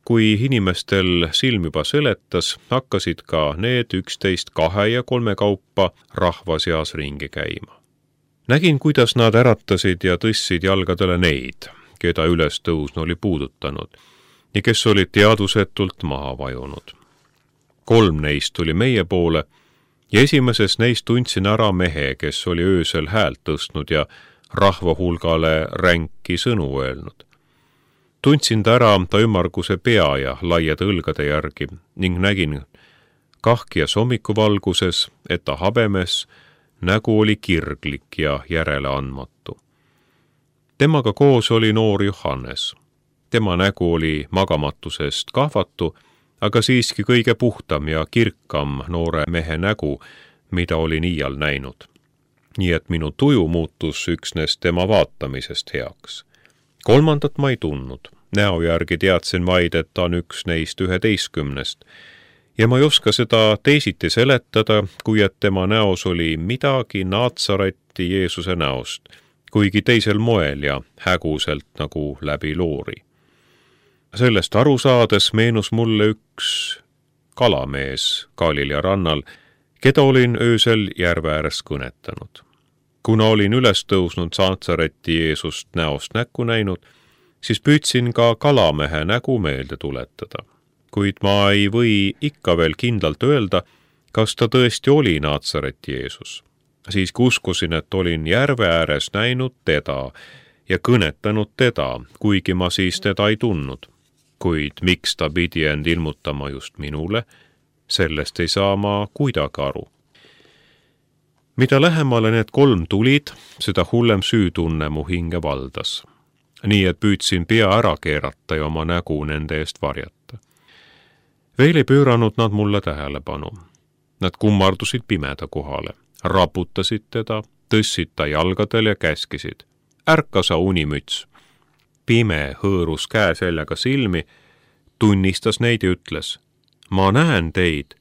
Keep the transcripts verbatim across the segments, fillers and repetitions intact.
kui inimestel silm juba seletas, hakkasid ka need üksteist kahe ja kolme kaupa rahva seas ringi käima. Nägin, kuidas nad äratasid ja tõstsid jalgadele neid, keda ülestõusnu oli puudutanud ja kes olid teadusetult maha vajunud. Kolm neist tuli meie poole ja esimeses neist tundsin ära mehe, kes oli öösel häält tõstnud ja rahva hulgale ränki sõnu öelnud. Tundsin ta ära ta ümmarguse pea ja laiade õlgade järgi ning nägin kahkjas hommikuvalguses, et ta habemes, nägu oli kirglik ja järeleandmatu. Temaga koos oli noor Johannes. Tema nägu oli magamatusest kahvatu, aga siiski kõige puhtam ja kirkam noore mehe nägu, mida olin iial näinud. Nii et minu tuju muutus üksnes tema vaatamisest heaks. Kolmandat ma ei tundnud. Näo järgi teadsin vaid, et ta on üks neist üheteistkümnest. Ja ma ei oska seda teisiti seletada, kui et tema näos oli midagi Naatsareti Jeesuse näost, kuigi teisel moel ja häguselt nagu läbi loori. Sellest aru saades meenus mulle üks kalamees Galilea rannal, keda olin öösel järve ääres kõnetanud. Kuna olin üles tõusnud Naatsareti Jeesust näost näkku näinud, siis püüdsin ka kalamehe nägu meelde tuletada. Kuid ma ei või ikka veel kindlalt öelda, kas ta tõesti oli Naatsareti Jeesus. Siis uskusin, et olin järve ääres näinud teda ja kõnetanud teda, kuigi ma siis teda ei tundnud. Kuid miks ta pidi end ilmutama just minule, sellest ei saa ma kuidagi aru. Mida lähemale need kolm tulid, seda hullem süütunne mu hinge valdas. Nii et püüdsin pea ära keerata ja oma nägu nende eest varjata. Veel ei pööranud nad mulle tähelepanu. Nad kummardusid pimeda kohale, raputasid teda, tõssid ta jalgadel ja käskisid. Ärka sa unimüts. Pime hõõrus käe seljaga silmi, tunnistas neid ja ütles, ma näen teid.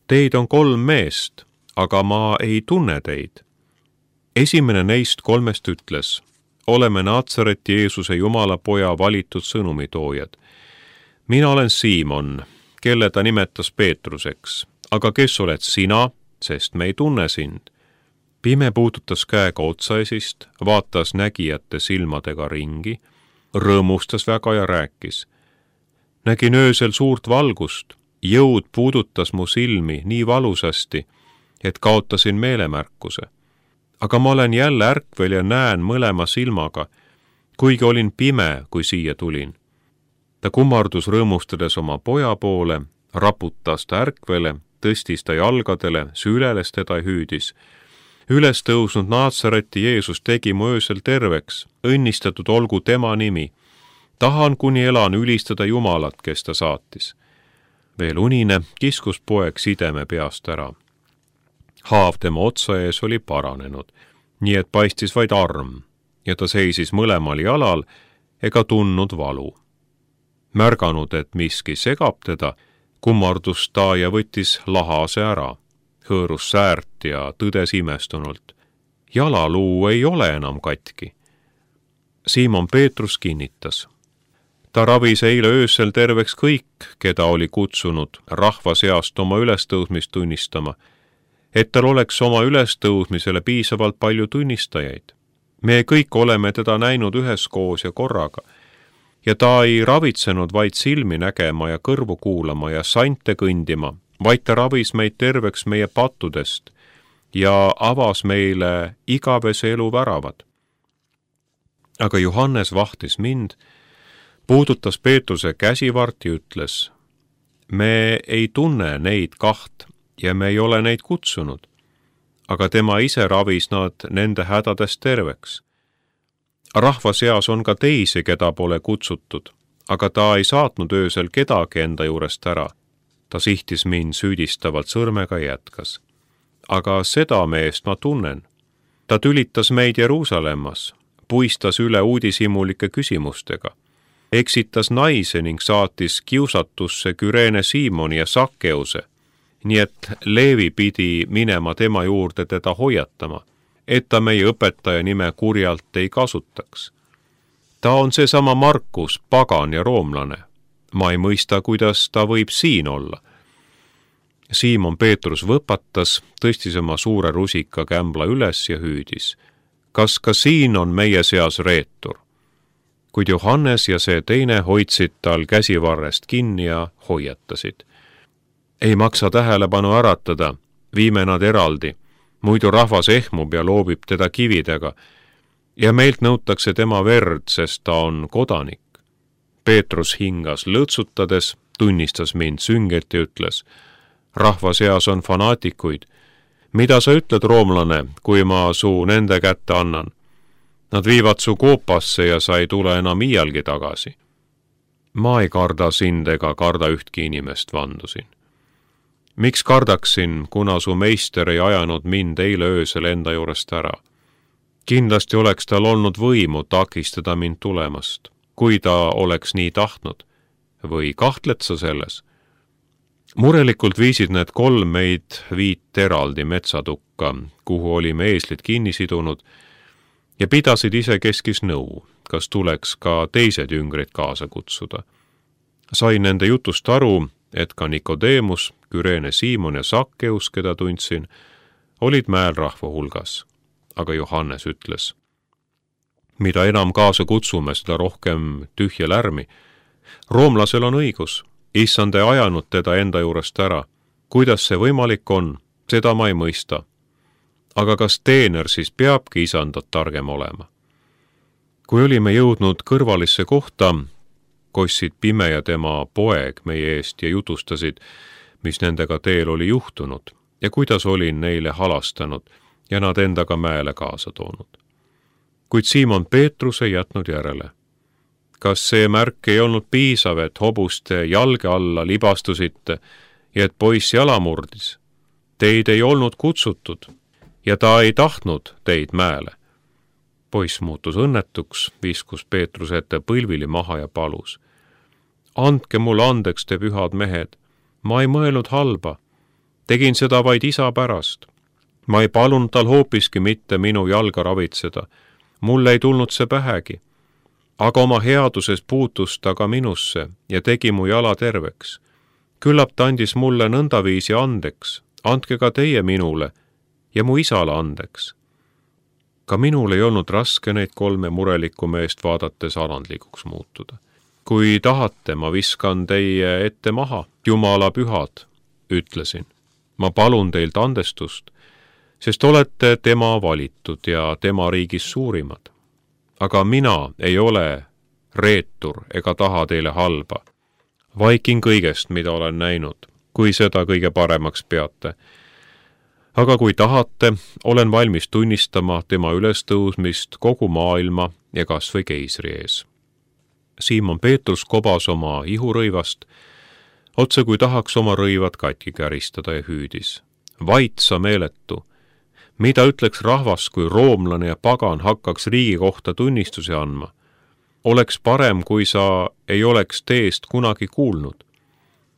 Teid on kolm meest, aga ma ei tunne teid. Esimene neist kolmest ütles, oleme Naatsareti Jeesuse Jumala poja valitud sõnumitoojad. Mina olen Siimon, kelle ta nimetas Peetruseks, aga kes oled sina, sest me ei tunne sind. Pime puudutas käega otsaesist, vaatas nägijate silmadega ringi, rõõmustas väga ja rääkis. Nägin öösel suurt valgust, jõud puudutas mu silmi nii valusasti, et kaotasin meelemärkuse. Aga ma olen jälle ärkvel ja näen mõlema silmaga, kuigi olin pime, kui siia tulin. Ta kummardus rõõmustades oma poja poole, raputas ta ärkvele, tõstis ta jalgadele, süleles teda hüüdis. Üles tõusnud Naatsareti Jeesus tegi mu öösel terveks, õnnistatud olgu tema nimi. Tahan kuni elan ülistada Jumalat, kes ta saatis. Veel unine kiskus poeg sideme peast ära. Haav tema otsa ees oli paranenud, nii et paistis vaid arm, ja ta seisis mõlemal jalal ega tundnud valu. Märganud, et miski segab teda, kummardus ta ja võttis lahase ära, hõõrus säärt ja tõdes imestunult. Jalaluu ei ole enam katki. Siimon Peetrus kinnitas. Ta ravis eile öösel terveks kõik, keda oli kutsunud rahva seast oma ülestõusmist tunnistama, et tal oleks oma ülestõusmisele piisavalt palju tunnistajaid. Me kõik oleme teda näinud üheskoos ja korraga, ja ta ei ravitsenud vaid silmi nägema ja kõrvu kuulama ja sante kõndima, vaid ta ravis meid terveks meie pattudest ja avas meile igavese elu väravad. Aga Johannes vahtis mind, puudutas Peetruse käsivart ja ütles, me ei tunne neid kaht ja me ei ole neid kutsunud, aga tema ise ravis nad nende hädadest terveks. Rahva seas on ka teisi, keda pole kutsutud, aga ta ei saatnud öösel kedagi enda juurest ära. Ta sihtis mind süüdistavalt sõrmega ja jätkas. Aga seda meest ma tunnen. Ta tülitas meid Jeruusalemmas, puistas üle uudishimulike küsimustega, eksitas naise ning saatis kiusatusse Küreene Siimoni ja Sakkeuse, nii et Leevi pidi minema tema juurde teda hoiatama, et ta meie õpetaja nime kurjalt ei kasutaks. Ta on seesama Markus, pagan ja roomlane. Ma ei mõista, kuidas ta võib siin olla. Siimon Peetrus võpatas, tõstis oma suure rusika kämbla üles ja hüüdis. Kas ka siin on meie seas reetur? Kuid Johannes ja see teine hoidsid tal käsivarrest kinni ja hoiatasid. Ei maksa tähelepanu äratada, viime nad eraldi, muidu rahvas ehmub ja loobib teda kividega ja meilt nõutakse tema verd, sest ta on kodanik. Peetrus hingas lõõtsutades, tunnistas mind sünget ja ütles, rahva seas on fanaatikuid. Mida sa ütled, roomlane, kui ma su nende kätte annan? Nad viivad su koopasse ja sa ei tule enam iialgi tagasi. Ma ei karda sind ega karda ühtki inimest, vandusin. Miks kardaksin, kuna su meister ei ajanud mind eile öösel enda juurest ära? Kindlasti oleks tal olnud võimu takistada mind tulemast, kui ta oleks nii tahtnud. Või kahtled sa selles? Murelikult viisid need kolm meid viit eraldi metsatukka, kuhu olime eeslid kinni sidunud, ja pidasid ise keskis nõu, kas tuleks ka teised jüngrid kaasa kutsuda. Sain nende jutust aru, et ka Nikodeemus, Küreene Siimon ja Sakkeus, keda tundsin, olid mäel rahva hulgas. Aga Johannes ütles, mida enam kaasa kutsume, seda rohkem tühja lärmi. Roomlasel on õigus, issand ei ajanud teda enda juurest ära. Kuidas see võimalik on, seda ma ei mõista. Aga kas teener siis peabki isandat targem olema? Kui olime jõudnud kõrvalisse kohta, kossid Pime ja tema poeg meie eest ja jutustasid, mis nendega teel oli juhtunud ja kuidas olin neile halastanud ja nad endaga mäele kaasa toonud. Kuid Siimon Peetrus ei jätnud järele. Kas see märk ei olnud piisav, et hobuste jalge alla libastusite ja et poiss jala murdis? Teid ei olnud kutsutud ja ta ei tahtnud teid mäele. Poiss muutus õnnetuks, viskus Peetruse ette põlvili maha ja palus. Andke mulle andeks, te pühad mehed. Ma ei mõelnud halba. Tegin seda vaid isa pärast. Ma ei palunud tal hoopiski mitte minu jalga ravitseda. Mulle ei tulnud see pähegi. Aga oma headuses puutus ta ka minusse ja tegi mu jala terveks. Küllap ta andis mulle nõndaviisi andeks. Andke ka teie minule ja mu isale andeks. Ka minul ei olnud raske neid kolme murelikku meest vaadates alandlikuks muutuda. Kui tahate, ma viskan teie ette maha, Jumala pühad, ütlesin. Ma palun teilt andestust, sest olete tema valitud ja tema riigis suurimad. Aga mina ei ole reetur ega taha teile halba. Vaikin kõigest, mida olen näinud, kui seda kõige paremaks peate. Aga kui tahate, olen valmis tunnistama tema ülestõusmist kogu maailma ja kas või keisri ees. Siimon Peetrus kobas oma ihurõivast, otse kui tahaks oma rõivad katki käristada ja hüüdis. Vait sa meeletu! Mida ütleks rahvas, kui roomlane ja pagan hakkaks riigi kohta tunnistuse andma? Oleks parem, kui sa ei oleks teest kunagi kuulnud.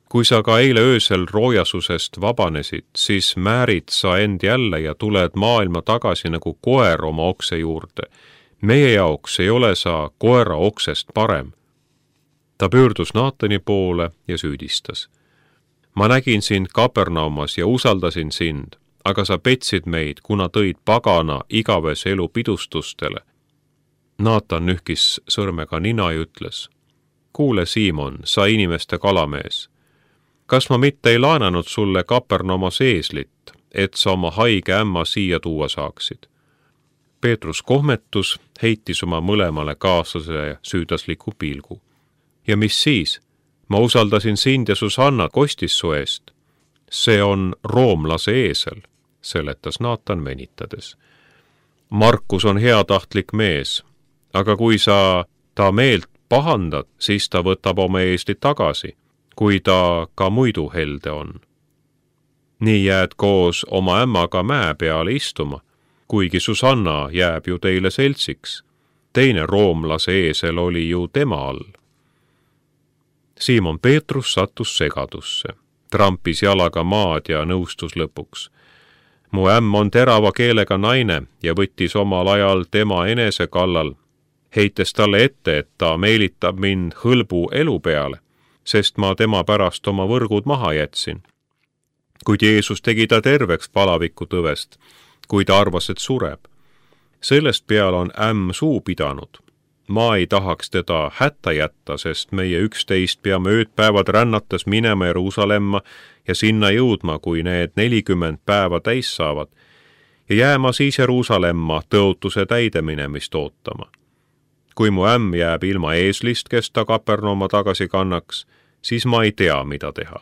Kui sa ka eile öösel roojasusest vabanesid, siis määrid sa end jälle ja tuled maailma tagasi nagu koer oma okse juurde. Meie jaoks ei ole sa koera oksest parem. Ta pöördus Naatani poole ja süüdistas. Ma nägin sind Kapernaumas ja usaldasin sind, aga sa petsid meid, kuna tõid pagana igavese elu pidustustele. Naatan nühkis sõrmega nina ja ütles, kuule Siimon, sa inimeste kalamees. Kas ma mitte ei laenanud sulle Kapernaumas eeslit, et sa oma haige ämma siia tuua saaksid? Peetrus kohmetus, heitis oma mõlemale kaaslase süüdasliku pilgu. Ja mis siis? Ma usaldasin sind ja Susanna kostis su eest. See on roomlase eesel, seletas Naatan venitades. Markus on heatahtlik mees, aga kui sa ta meelt pahandad, siis ta võtab oma eeslit tagasi, kui ta ka muidu helde on. Nii jääd koos oma ämmaga mäe peale istuma, kuigi Susanna jääb ju teile seltsiks. Teine roomlase eesel oli ju tema all. Siimon Peetrus sattus segadusse, trampis jalaga maad ja nõustus lõpuks. Mu ämm on terava keelega naine ja võttis omal ajal tema enese kallal, heites talle ette, et ta meelitab mind hõlbu elu peale. sest ma tema pärast oma võrgud maha jätsin. Kuid Jeesus tegi ta terveks palaviku tõvest, kui ta arvas, et sureb. Sellest peale on ämm suu pidanud. Ma ei tahaks teda hätta jätta, sest meie üksteist peame öödpäevad rännates minema Jeruusalemma ja sinna jõudma, kui need nelikümmend päeva täis saavad, ja jääma siis Jeruusalemma tõotuse täideminemist ootama. Kui mu ämm jääb ilma eeslist, kes ta Kapernauma tagasi kannaks, siis ma ei tea, mida teha.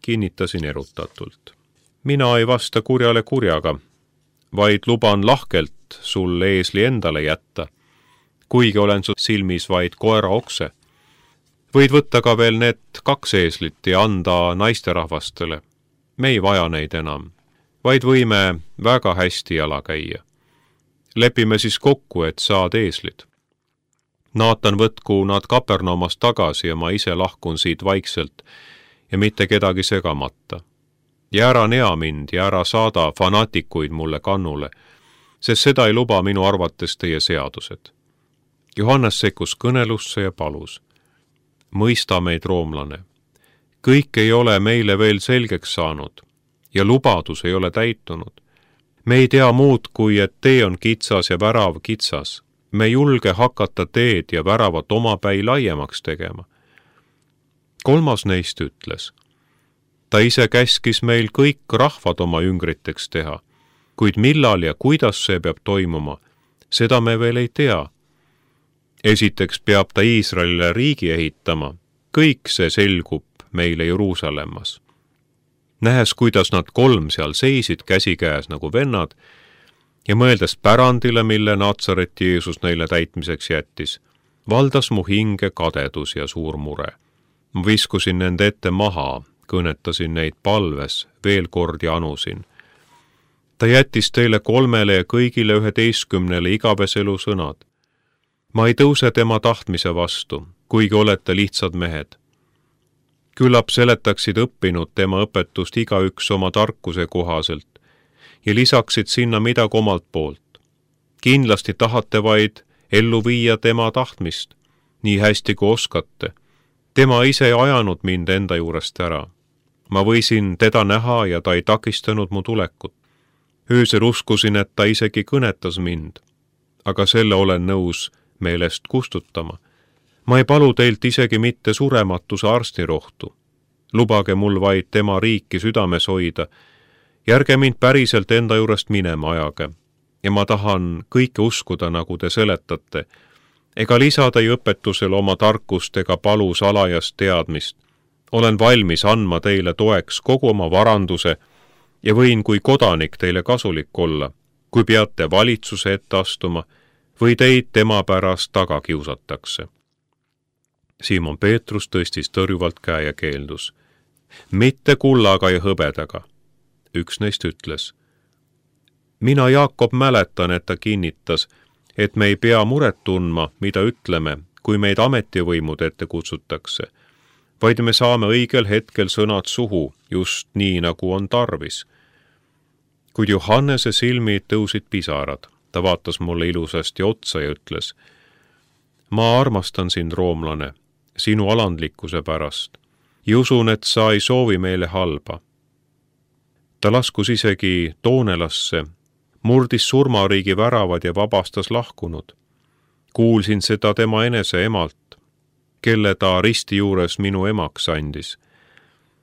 Kinnitasin erutatult. Mina ei vasta kurjale kurjaga, vaid luban lahkelt sul eesli endale jätta, kuigi olen su silmis vaid koera okse. Võid võtta ka veel need kaks eeslit ja anda naisterahvastele. Me ei vaja neid enam, vaid võime väga hästi jala käia. Lepime siis kokku, et saad eeslid. Naatan võtku nad Kapernaumast tagasi ja ma ise lahkun siit vaikselt ja mitte kedagi segamata. Ja ära nea mind ja ära saada fanatikuid mulle kannule, sest seda ei luba minu arvates teie seadused. Johannes sekkus kõnelusse ja palus. Mõista meid, roomlane. Kõik ei ole meile veel selgeks saanud ja lubadus ei ole täitunud. Me ei tea muud, kui et tee on kitsas ja värav kitsas. Me julge hakata teed ja väravat omapäi laiemaks tegema. Kolmas neist ütles. Ta ise käskis meil kõik rahvad oma üngriteks teha, kuid millal ja kuidas see peab toimuma, seda me veel ei tea. Esiteks peab ta Iisraelile riigi ehitama, kõik see selgub meile Jeruusalemmas. Nähes, kuidas nad kolm seal seisid käsikäes nagu vennad ja mõeldes pärandile, mille Natsareti Jeesus neile täitmiseks jättis, valdas mu hinge kadedus ja suur mure. Ma viskusin nende ette maha, kõnetasin neid palves, veel kord ja anusin. Ta jättis teile kolmele ja kõigile üheteistkümnele igaveselu sõnad. Ma ei tõuse tema tahtmise vastu, kuigi olete lihtsad mehed. Küllap seletaksid õppinud tema õpetust igaüks oma tarkuse kohaselt ja lisaksid sinna midagi omalt poolt. Kindlasti tahate vaid ellu viia tema tahtmist, nii hästi kui oskate. Tema ise ei ajanud mind enda juurest ära. Ma võisin teda näha ja ta ei takistanud mu tulekut. Öösel uskusin, et ta isegi kõnetas mind, aga selle olen nõus meelest kustutama. Ma ei palu teilt isegi mitte surematuse arstirohtu. Lubage mul vaid tema riiki südames hoida. Järge mind päriselt enda juurest minema ajage. Ja ma tahan kõike uskuda, nagu te seletate, ega lisada ei õpetusel oma tarkust ega palu salajast teadmist. Olen valmis andma teile toeks kogu oma varanduse ja võin kui kodanik teile kasulik olla, kui peate valitsuse ette astuma või teid tema pärast taga kiusatakse. Simon Peetrus tõstis tõrjuvalt käe ja keeldus. Mitte kullaga ja hõbedaga. Üks neist ütles. Mina, Jaakob, mäletan, et ta kinnitas, et me ei pea muret tundma, mida ütleme, kui meid ametivõimud ette kutsutakse, vaid me saame õigel hetkel sõnad suhu, just nii, nagu on tarvis. Kuid Johannese silmid tõusid pisarad. Ta vaatas mulle ilusasti otsa ja ütles, ma armastan sind, roomlane, sinu alandlikkuse pärast ja usun, et sa ei soovi meile halba. Ta laskus isegi Toonelasse, murdis surmariigi väravad ja vabastas lahkunud. Kuulsin seda tema enese emalt, kelle ta risti juures minu emaks andis.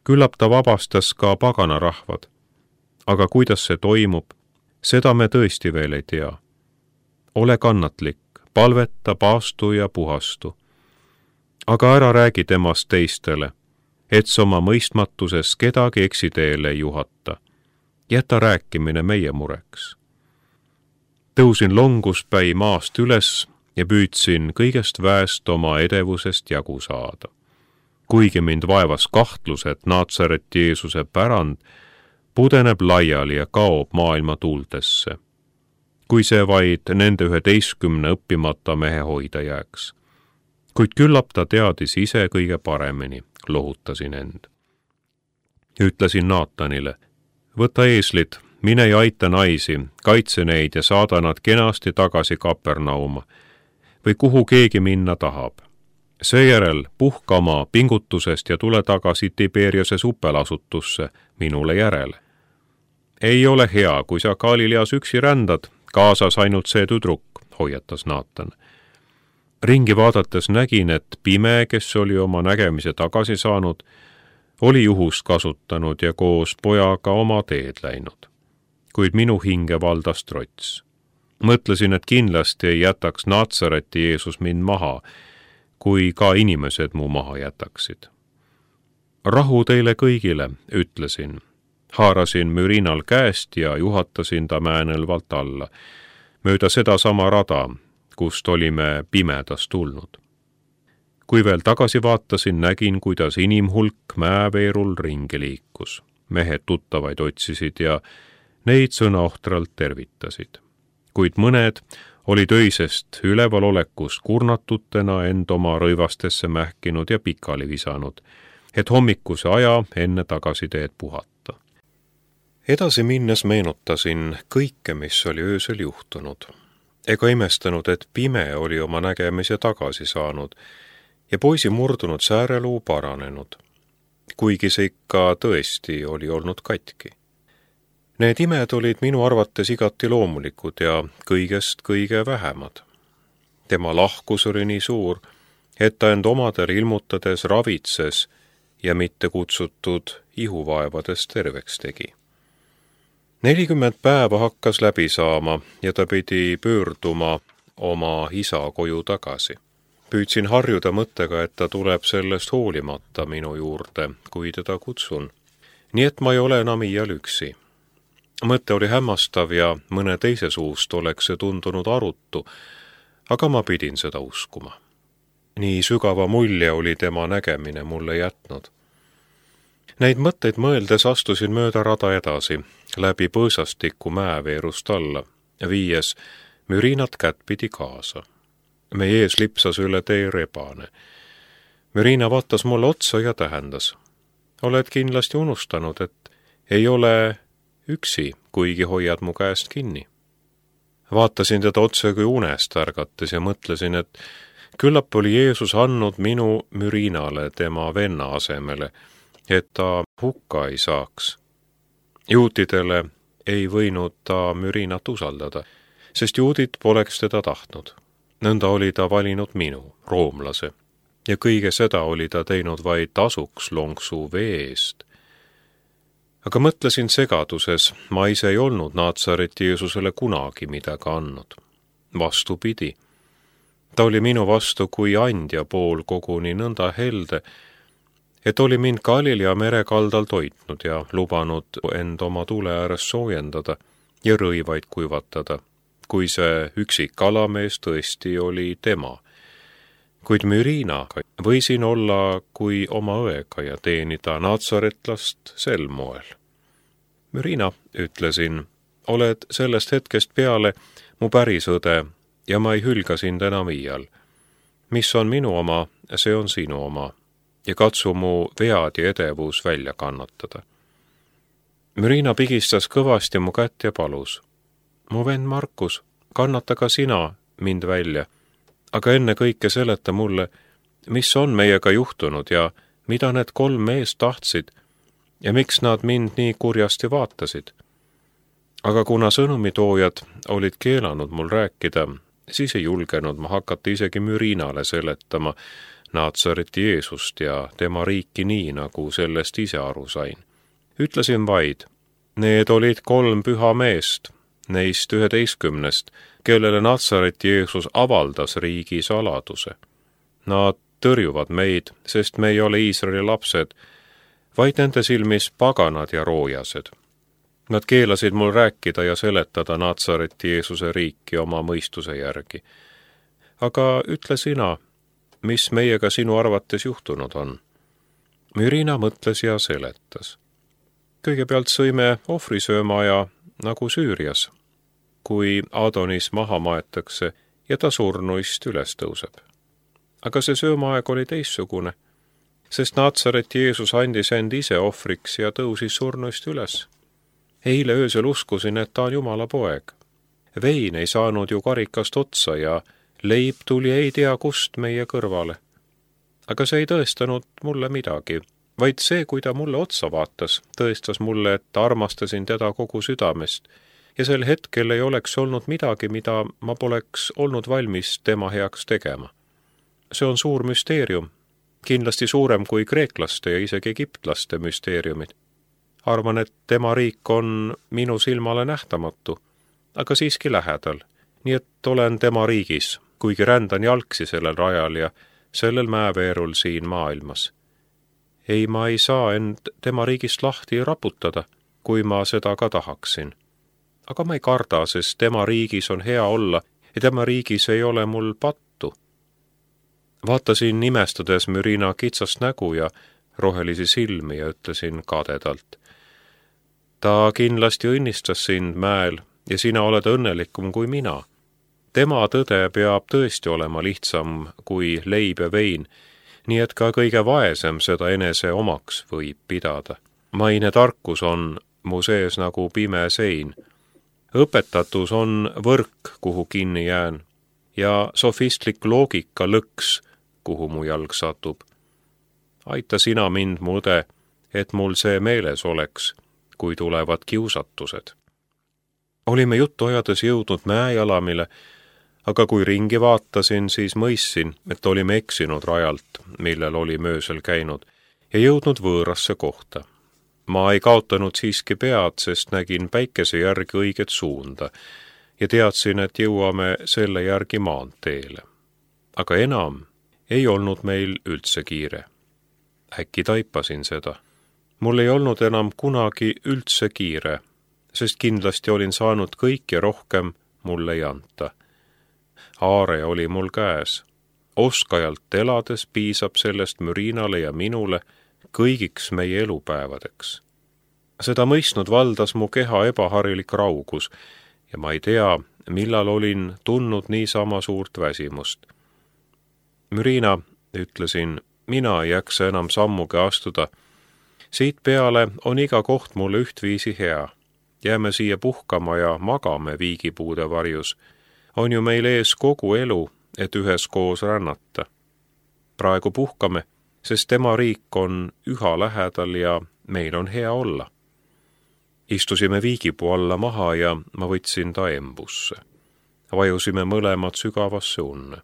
Küllap ta vabastas ka paganarahvad, aga kuidas see toimub, seda me tõesti veel ei tea. Ole kannatlik, palveta, paastu ja puhastu. Aga ära räägi temast teistele, et sa oma mõistmatuses kedagi eksiteele ei juhata. Jäta rääkimine meie mureks. Tõusin longuspäi maast üles ja püüdsin kõigest väest oma edevusest jagu saada. Kuigi mind vaevas kahtlus, et Natsareti Jeesuse pärand pudeneb laiali ja kaob maailma tuultesse, kui see vaid nende üheteistkümne õppimata mehe hoida jääks. Kuid küllap ta teadis ise kõige paremini, lohutasin end. Ütlesin Naatanile, võta eeslid, mine ja aita naisi, kaitse neid ja saada nad kenasti tagasi Kapernauma või kuhu keegi minna tahab. Seejärel puhka oma pingutusest ja tule tagasi Tiberiase supelasutusse minule järele. Ei ole hea, kui sa Galileas üksi rändad, kaasas ainult see tüdruk, hoiatas Naatan. Ringi vaadates nägin, et pime, kes oli oma nägemise tagasi saanud, oli juhust kasutanud ja koos pojaga oma teed läinud. Kuid minu hinge valdas trots. Mõtlesin, et kindlasti ei jätaks Naatsareti Jeesus mind maha, kui ka inimesed mu maha jätaksid. Rahu teile kõigile, ütlesin. Haarasin mürinal käest ja juhatasin ta mäenõlvalt alla, mööda seda sama rada, kust olime pimedas tulnud. Kui veel tagasi vaatasin, nägin, kuidas inimhulk mäeveerul ringi liikus. Mehed tuttavaid otsisid ja neid sõnaohtralt tervitasid. Kuid mõned olid öisest ülevalolekust kurnatutena end oma rõivastesse mähkinud ja pikali visanud, et hommikuse aja enne tagasiteed puhata. Edasi minnes meenutasin kõike, mis oli öösel juhtunud. Ega imestanud, et pime oli oma nägemise tagasi saanud ja poisi murdunud sääreluu paranenud, kuigi see ikka tõesti oli olnud katki. Need imed olid minu arvates igati loomulikud ja kõigest kõige vähemad. Tema lahkus oli nii suur, et ta end omadel ilmutades ravitses ja mitte kutsutud ihuvaevades terveks tegi. Nelikümmend päeva hakkas läbi saama ja ta pidi pöörduma oma isa koju tagasi. Püüdsin harjuda mõttega, et ta tuleb sellest hoolimata minu juurde, kui teda kutsun. Nii et ma ei ole enam iial üksi. Mõte oli hämmastav ja mõne teise suust oleks see tundunud arutu, aga ma pidin seda uskuma. Nii sügava mulje oli tema nägemine mulle jätnud. Neid mõtteid mõeldes astusin mööda rada edasi, läbi põõsastiku mäeveerust alla, viies mürinat kättpidi kaasa. Meie ees lipsas üle tee rebane. Mürina vaatas mulle otsa ja tähendas. Oled kindlasti unustanud, et ei ole üksi, kuigi hoiad mu käest kinni. Vaatasin teda otse kui unest ärgates ja mõtlesin, et küllap oli Jeesus andnud minu Mürinale tema venna asemele, et ta hukka ei saaks. Juutidele ei võinud ta Mürinat usaldada, sest juudid poleks teda tahtnud. Nõnda oli ta valinud minu, roomlase, ja kõige seda oli ta teinud vaid tasuks lonksu vee eest. Aga mõtlesin segaduses, ma ise ei olnud Naatsareti Jeesusele kunagi midagi andnud. Vastupidi, ta oli minu vastu kui andja pool koguni nõnda helde, et oli mind Galilea merekaldal toitnud ja lubanud end oma tule ääres soojendada ja rõivaid kuivatada, kui see üksik kalamees tõesti oli tema. Kuid Mürinaga võisin olla kui oma õega ja teenida naatsaretlast sel moel. Mürina, ütlesin, oled sellest hetkest peale mu päris õde ja ma ei hülga sind enam iial. Mis on minu oma, see on sinu oma ja katsu mu vead ja edevus välja kannatada. Mürina pigistas kõvasti mu kätt ja palus. Mu vend Markus, kannata ka sina mind välja, aga enne kõike seleta mulle, mis on meiega juhtunud ja mida need kolm meest tahtsid ja miks nad mind nii kurjasti vaatasid. Aga kuna sõnumitoojad olid keelanud mul rääkida, siis ei julgenud ma hakata isegi Mürinale seletama Naatsareti Jeesust ja tema riiki nii, nagu sellest ise aru sain. Ütlesin vaid, need olid kolm püha meest, neist üheteistkümnest, kellele Naatsareti Jeesus avaldas riigi saladuse. Nad tõrjuvad meid, sest me ei ole Iisraeli lapsed, vaid nende silmis paganad ja roojased. Nad keelasid mul rääkida ja seletada Naatsareti Jeesuse riiki oma mõistuse järgi. Aga ütle sina, mis meiega sinu arvates juhtunud on? Mürina mõtles ja seletas. Kõigepealt sõime ohvrisöömaja nagu Süürias, kui Adonis maha maetakse ja ta surnuist üles tõuseb. Aga see söömaaeg oli teissugune, sest Naatsareti Jeesus andis end ise ohvriks ja tõusis surnuist üles. Eile öösel uskusin, et ta on Jumala poeg. Vein ei saanud ju karikast otsa ja leib tuli ei tea kust meie kõrvale. Aga see ei tõestanud mulle midagi, vaid see, kui ta mulle otsa vaatas, tõestas mulle, et armastasin teda kogu südamest ja sel hetkel ei oleks olnud midagi, mida ma poleks olnud valmis tema heaks tegema. See on suur müsteerium, kindlasti suurem kui kreeklaste ja isegi egiptlaste müsteeriumid. Arvan, et tema riik on minu silmale nähtamatu, aga siiski lähedal, nii et olen tema riigis, kuigi rändan jalgsi sellel rajal ja sellel mäeveerul siin maailmas. Ei, ma ei saa end tema riigist lahti raputada, kui ma seda ka tahaksin. Aga ma ei karda, sest tema riigis on hea olla ja tema riigis ei ole mul pattu. Vaatasin imestades Mürina kitsast nägu ja rohelisi silmi ja ütlesin kadedalt. Ta kindlasti õnnistas sind mäel ja sina oled õnnelikum kui mina. Tema tõde peab tõesti olema lihtsam kui leib ja vein, nii et ka kõige vaesem seda enese omaks võib pidada. Maine tarkus on mu sees nagu pime sein. Õpetatus on võrk, kuhu kinni jään, ja sofistlik loogika lõks, kuhu mu jalg satub. Aita sina mind, mu õde, et mul see meeles oleks, kui tulevad kiusatused. Olime juttu ajades jõudnud mäejalamile, aga kui ringi vaatasin, siis mõistsin, et olime eksinud rajalt, millel oli möösel käinud, ja jõudnud võõrasse kohta. Ma ei kaotanud siiski pead, sest nägin päikese järgi õiget suunda ja teadsin, et jõuame selle järgi maanteele. Aga enam ei olnud meil üldse kiire. Äkki taipasin seda. Mul ei olnud enam kunagi üldse kiire, sest kindlasti olin saanud kõik ja rohkem mulle ei anta. Aare oli mul käes. Oskajalt elades piisab sellest Mürinale ja minule kõigiks meie elupäevadeks. Seda mõistnud valdas mu keha ebaharilik raugus ja ma ei tea, millal olin tundnud niisama suurt väsimust. Mürina, ütlesin, mina ei jaksa enam sammugi astuda. Siit peale on iga koht mulle ühtviisi hea. Jääme siia puhkama ja magame viigipuude varjus. On ju meil ees kogu elu, et üheskoos rännata. Praegu puhkame, sest tema riik on üha lähedal ja meil on hea olla. Istusime viigipuu alla maha ja ma võtsin ta embusse. Vajusime mõlemad sügavasse unne.